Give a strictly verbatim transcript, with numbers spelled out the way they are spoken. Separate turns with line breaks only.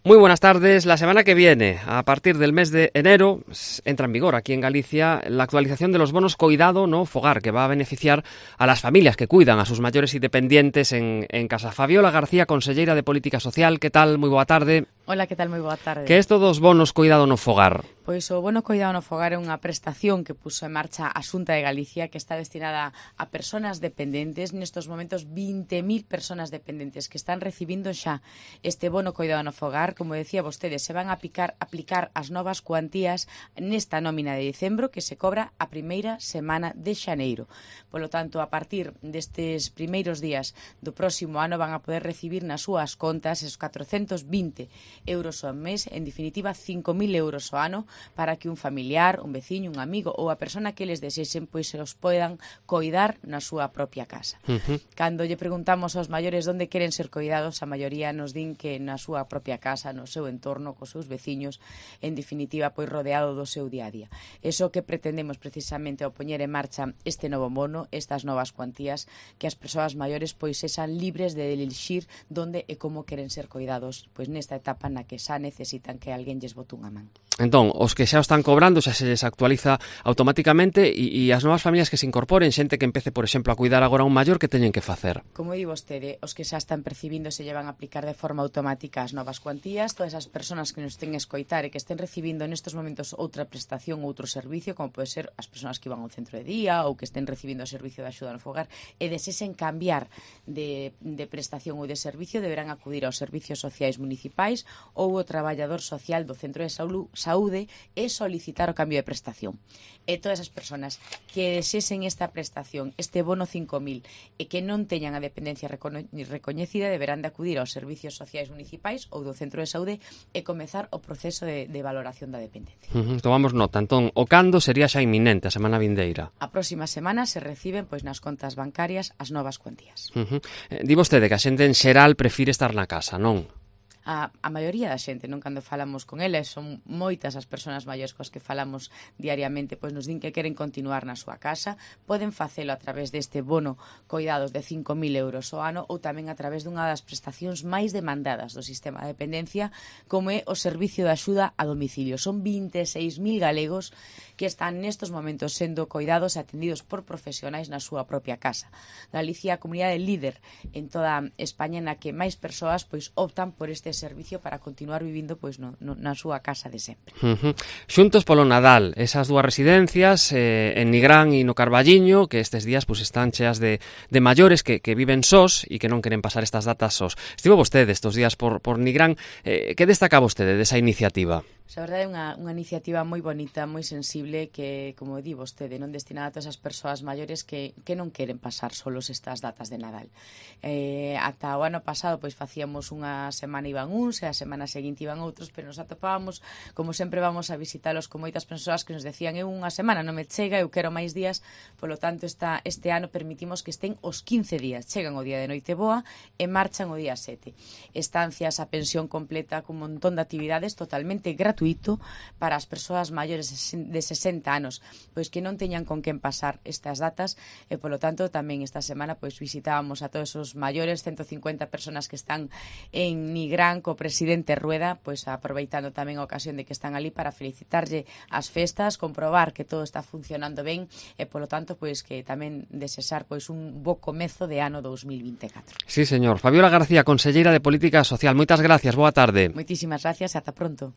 Muy buenas tardes. La semana que viene, a partir del mes de enero, entra en vigor aquí en Galicia la actualización de los bonos Coidado no Fogar, que va a beneficiar a las familias que cuidan a sus mayores y dependientes en, en casa. Fabiola García, conselleira de Política Social, que tal? Moi boa tarde.
Hola, que tal? Moi boa tarde.
Que é isto dos bonos Coidado no Fogar?
Pois o bono Coidado no Fogar é unha prestación que puso en marcha a Xunta de Galicia, que está destinada a persoas dependentes. Nestos momentos, vinte mil persoas dependentes que están recibindo xa este bono Coidado no Fogar. Como decía vostede, se van a aplicar, aplicar as novas cuantías nesta nómina de dicembro, que se cobra a primeira semana de xaneiro. Polo tanto, a partir destes primeiros días do próximo ano van a poder recibir nas súas contas esos catrocentos vinte euros ao mes, en definitiva cinco mil euros ao ano, para que un familiar, un veciño, un amigo ou a persona que les desexen pois se os poidan coidar na súa propia casa. Uh-huh. Cando lle preguntamos aos maiores onde queren ser coidados, a maioría nos din que na súa propia casa, no seu entorno, cos seus veciños, en definitiva, pois rodeado do seu día a día. Eso que pretendemos precisamente ao poñer en marcha este novo bono, estas novas cuantías, que as persoas maiores pois sexan libres de elixir onde e como queren ser coidados, pois nesta etapa na que xa necesitan que alguén lles bote unha man.
Entón, os que xa o están cobrando xa se les actualiza automáticamente e, e as novas familias que se incorporen, xente que empece, por exemplo, a cuidar agora un maior, que teñen que facer?
Como di vostede, os que xa están percibindo se llevan a aplicar de forma automática as novas cuantías. Todas as persoas que nos ten escoitar e que estén recibindo nestes momentos outra prestación, outro servicio, como pode ser as persoas que van ao centro de día ou que estén recibindo o servicio de axuda no fogar e desesen cambiar de, de prestación ou de servicio, deberán acudir aos servicios sociais municipais ou o traballador social do centro de saúde e solicitar o cambio de prestación. E todas as persoas que desesen esta prestación, este bono cinco mil, e que non teñan a dependencia recono- recoñecida, deberán de acudir aos servicios sociais municipais ou do centro de saúde e comezar o proceso de, de valoración da dependencia.
Uh-huh. Tomamos nota. Entón, o cando sería xa inminente, a semana vindeira?
A próxima semana se reciben pois nas contas bancarias as novas cuantías.
Uh-huh. Eh, di vostede que a xente en xeral prefire estar na casa, non?
A, a maioría da xente, non cando falamos con eles, son moitas as persoas maiores coas que falamos diariamente, pois nos din que queren continuar na súa casa, poden facelo a través deste bono Coidados de cinco mil euros ao ano ou tamén a través dunha das prestacións máis demandadas do sistema de dependencia, como é o servicio de axuda a domicilio. Son vinte e seis mil galegos que están nestos momentos sendo coidados e atendidos por profesionais na súa propia casa. Galicia é a comunidade líder en toda España na que máis persoas pois optan por este servicio para continuar vivindo pois no, no, na súa casa de sempre.
Uh-huh. Xuntos polo Nadal, esas dúas residencias eh, en Nigrán e no Carballiño, que estes días pois están cheas de, de maiores que, que viven sós e que non queren pasar estas datas sós. Estivo vostede estes días por, por Nigrán. Eh, que destaca vostede desa iniciativa?
A verdade é unha, unha iniciativa moi bonita, moi sensible, que, como di vostede, non destinada a todas as persoas maiores que, que non queren pasar solos estas datas de Nadal. Eh, ata o ano pasado, pois facíamos unha semana iban uns e a semana seguinte iban outros, pero nos atopábamos, como sempre vamos a visitalos con moitas persoas que nos decían eu unha semana non me chega, eu quero máis días, polo tanto esta, este ano permitimos que estén os quince días, chegan o día de Noiteboa e marchan o día sete. Estancias a pensión completa con un montón de actividades totalmente gratuitas para as persoas maiores de sesenta anos, pois que non teñan con quen pasar estas datas e, polo tanto, tamén esta semana pois visitábamos a todos os maiores, ciento cincuenta persoas que están en Nigrán co presidente Rueda, pois aproveitando tamén a ocasión de que están ali para felicitarlle as festas, comprobar que todo está funcionando ben e, polo tanto, pois que tamén desexar pois un bo comezo de ano dous mil vinte e catro.
Sí, señor. Fabiola García, conselleira de Política Social. Moitas gracias. Boa tarde.
Moitísimas gracias. Ata pronto.